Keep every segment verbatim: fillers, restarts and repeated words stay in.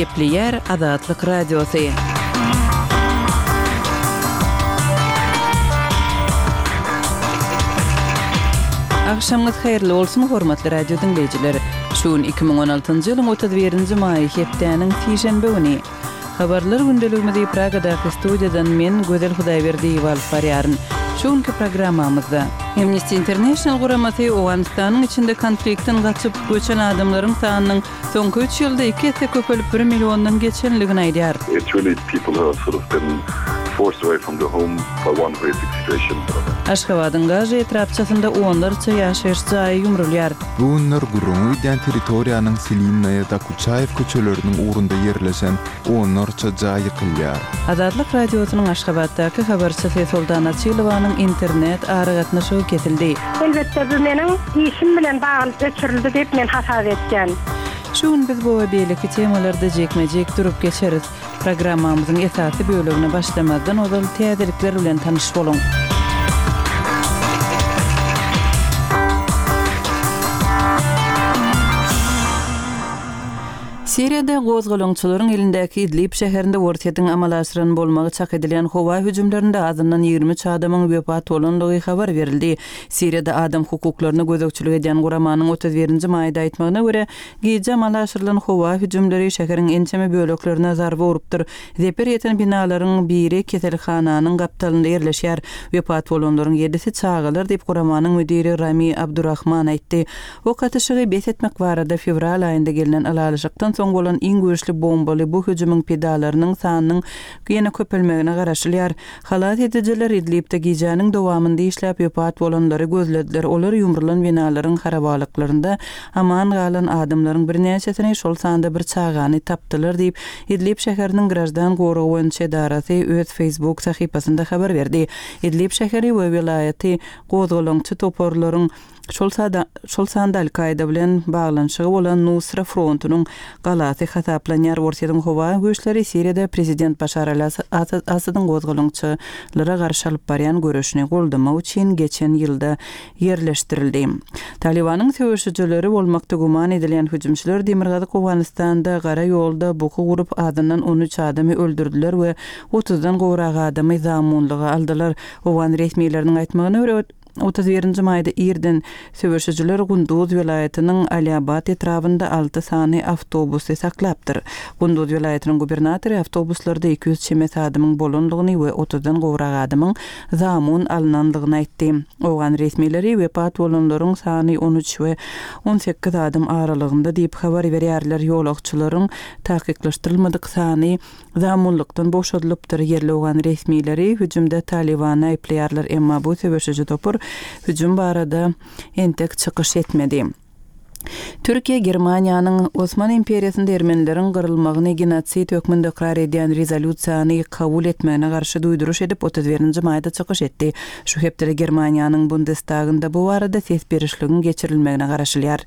Gepleýär Azatlyk Radiosy. Agşamyňyz haýyrly bolsun, hormatly radio diňleýjiler. Şu gün iki müň on altynjy ýylyň otuz birinji maýy, hepdäniň sişenbe güni. Habarlar gündeligimizi Pragadaky studiýadan men, Gözel Hudaýberdiýewa alyp barýaryn. Şu günki programmamyzda Amnesty International guramasy Owganystanyň içinde konfliktden gaçyp göçen adamlaryň sanynyň soňky üç ýylda iki esse köpelip bir milliondan geçenligini aýdýar. It's really people who have sort of been forced away from their home by one basic situation. Aşgabadyň Gažy etrapçasynda onlarça ýaşaýyş jaýy ýumrulýar. Bu günler gürrüňi gidýän territoriýanyň Silinnaýa Dokuçaýew köçeleriniň ugrunda ýerleşen onlarça jaý ýykylýar. Azatlyk Radiosynyň Aşgabatdaky habarçysy Soltan Açylowanyň internet aragatnaşygy kesildi. Elbetde bu meniň işim bilen bagly öçürildi diýip men hasap etýän. Şu gün biz bu we beýleki temalarda jikme-jik durup geçeris. Programmamyzyň esasy bölegine başlamazdan ozal täzelikler bilen tanyş boluň. Siriýada gozgalaňçylaryň elindäki Idlib şäherinde Orsýetiň amala aşyran bolmagy çak edilýän howa hüjümlerinde azyndan ýigrimi üç adamyň wepat bolandygy habar berildi. Siriýada adam hukuklaryna gözegçilik edýän guramanyň otuz birinji maýda aýtmagyna görä, gije amala aşyrylan howa hüjümleri şäheriň ençeme böleklerine zarba urupdyr. Zeper ýeten binalaryň biri keselhananyň gapdalynda ýerleşýär. Wepat bolanlaryň ýedisi çagalar diýip guramanyň müdiri Rami Abdurrahman aýtdy. Ok atyşygy bes etmek barada fewral aýynda gelnen ylalaşykdan soň bolan iň güýçli bombaly bu hüjümiň pidalarynyň sanynyň ýene köpelmegine garaşylýar. Halas edijiler Idlibde gijäniň dowamynda işläp wepat bolanlary gözlediler. Olar ýumrulan binalaryň harabalyklarynda aman galan adamlaryň birnäçesini, şol sanda bir çagany tapdylar diýip, Idlib şäheriniň grajdan goragy boýunça edarasy öz Facebook sahypasynda habar berdi. Idlib şäheri we welaýaty gozgalaňçy toparlaryň şol sada, şol sanda Al-Kaida bilen baglanyşygy bolan Nusra frontunyň galasy hasaplanýar. Orsýetiň howa güýçleri Siriýada prezident Başar al-Asadyň gozgalaňçylara garşy alyp barýan göreşini goldamak üçin geçen ýylda ýerleşdirildi. Talibanyň söweşijileri bolmakda güman edilýän hüjümçiler Demirgazyk Owganystanda gara ýolda buky gurup azyndan on üç adamy öldürdüler we otuzdan gowrak adamy zamunlyga aldylar. Owgan resmileriniň aýtmagyna görä, otuz birinji maýda irden söweşijiler Gunduz welaýatynyň Aliabat etrabynda alty sany awtobusy saklapdyr. Gunduz welaýatynyň gubernatory awtobuslarda iki ýüz çemesi adamyň bolanlygyny we otuzdan gowrak adamyň zamun alynanlygyny aýtdy. Owgan resmileri wepat bolanlaryň sany on üç we on sekiz adam aralygynda diýip habar berýärler. Ýolagçylaryň takyklaşdyrylmadyk sany zamunlykdan boşadylypdyr. Ýerli owgan resmileri hüjümde Talibany aýyplaýarlar, emma bu söweşiji topar hüjüm barada entek çykyş etmedi. Türkiýe Germaniýanyň Osman imperiýasynda ermenileriň gyrylmagyny genosid hökmünde ykrar edýän rezolýusiýany kabul etmegine garşy duýduryş edip otuz birinji maýda çykyş etdi. Şu hepdede Germaniýanyň Bundestagynda bu barada ses berişligiň geçirilmegine garaşylýar.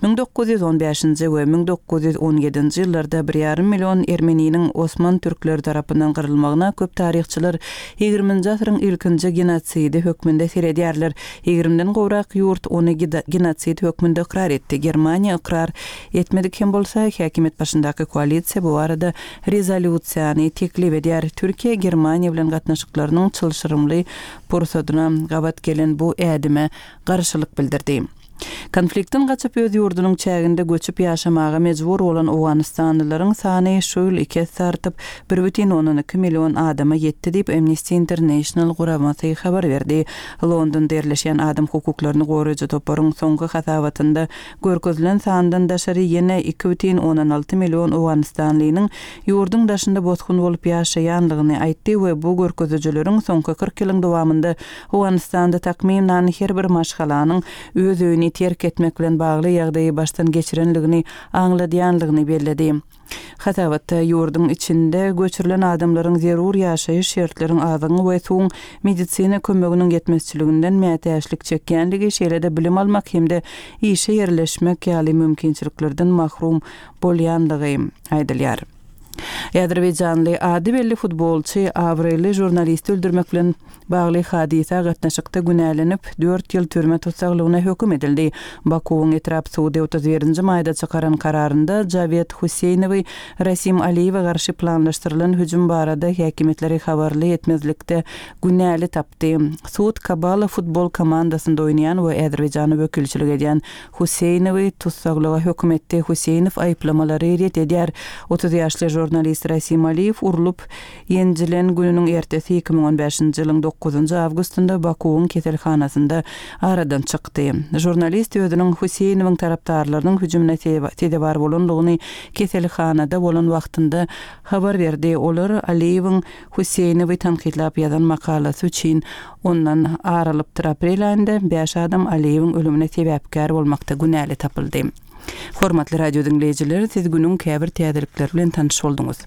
Müň dokuz ýüz on bäşinji we müň dokuz ýüz on ýedinji ýyllarda bir ýarym million ermeniniň Osman türkleri tarapyndan gyrylmagyna köp taryhçylar ýigriminji asyryň ilkinji genotsidi hökmünde seredýärler. Ýigrimden gowrak ýurt ony gida-, genosid hökmünde ykrar etdi. Germaniýa ykrar etmedik hem bolsa, häkimiýet başyndaky koalisiýa bu barada rezolýusiýany teklip edýär. Türkiýe Germaniýa bilen gatnaşyklarynyň çylşyrymly pursadyna gabat gelen bu ädime garşylyk bildirdi. Konfliktden gaçyp öz ýurdunyň çäginde göçüp ýaşamaga mejbur bolan Owganystanlylaryň sany şu ýyl iki esse artyp bir bütin ondan iki million adama ýetdi diýip Amnesty International guramasy habar berdi. Londonda ýerleşen adam hukuklaryny goraýjy toparyň soňky hasabatynda görkezilen sandan daşary ýene iki bütin ondan alty million Owganystanlynyň ýurduň daşynda bosgun bolup ýaşaýanlygyny aýtdy we bu görkezijileriň soňky kyrk ýylyň dowamynda Owganystanda takmynan her bir maşgalanyň öz öýüni terk etmek bilen bagly ýagdaýy başdan geçirenligini aňladýanlygyny belledi. Hasabatda ýurduň içinde göçürilen adamlaryň zerur ýaşaýyş şertleriň azygyň we suwuň medisina kömeginiň ýetmezçiliginden mätäçlik çekýänligi, şeýle-de bilim almak hem-de işe ýerleşmek ýaly mümkinçiliklerden mahrum bolýanlygy aýdylýar. Azerbaýjanly ady belli futbolçy abraýly žurnalisti öldürmek bilen bagly hadysa gatnaşykda günälenip, dört ýyl türme tussaglygyna höküm edildi. Bakuwyň etrap sudy otuz birinji maýda çykaran kararynda Jawed Huseýnowy Rasim Aliýewe garşy planlaşdyrylan hüjüm barada häkimiýetleri habarly etmezlikde günäli tapdy. Sud Kabala futbol komandasynda oýnaýan we Azerbaýjana wekilçilik edýän Huseýnowy tussaglyga höküm etdi. Huseýnow aýyplamalary ret edýär. Otuz ýaşly žurnalist Rasim Aliýew urlup ýenjilen gününiň ertesi iki müň on bäşinji ýylyň dokuzynjy awgustynda Bakuwyň keselhanasynda aradan çykdy. Žurnalist özüniň Huseýnowyň tarapdarlarynyň hüjümine sezewar bolandygyny keselhanada bolan wagtynda habar berdi. Olar Aliýewiň Huseýnowy tankytlap ýazan makalasy üçin ondan ar alypdyr. Aprel aýynda bäş adam Aliýewiň ölümine sebäpkär bolmakda günäli tapyldy. Hormatly radio diňleýjiler, siz günüň käbir täzelikleri bilen tanyş bolduňyz.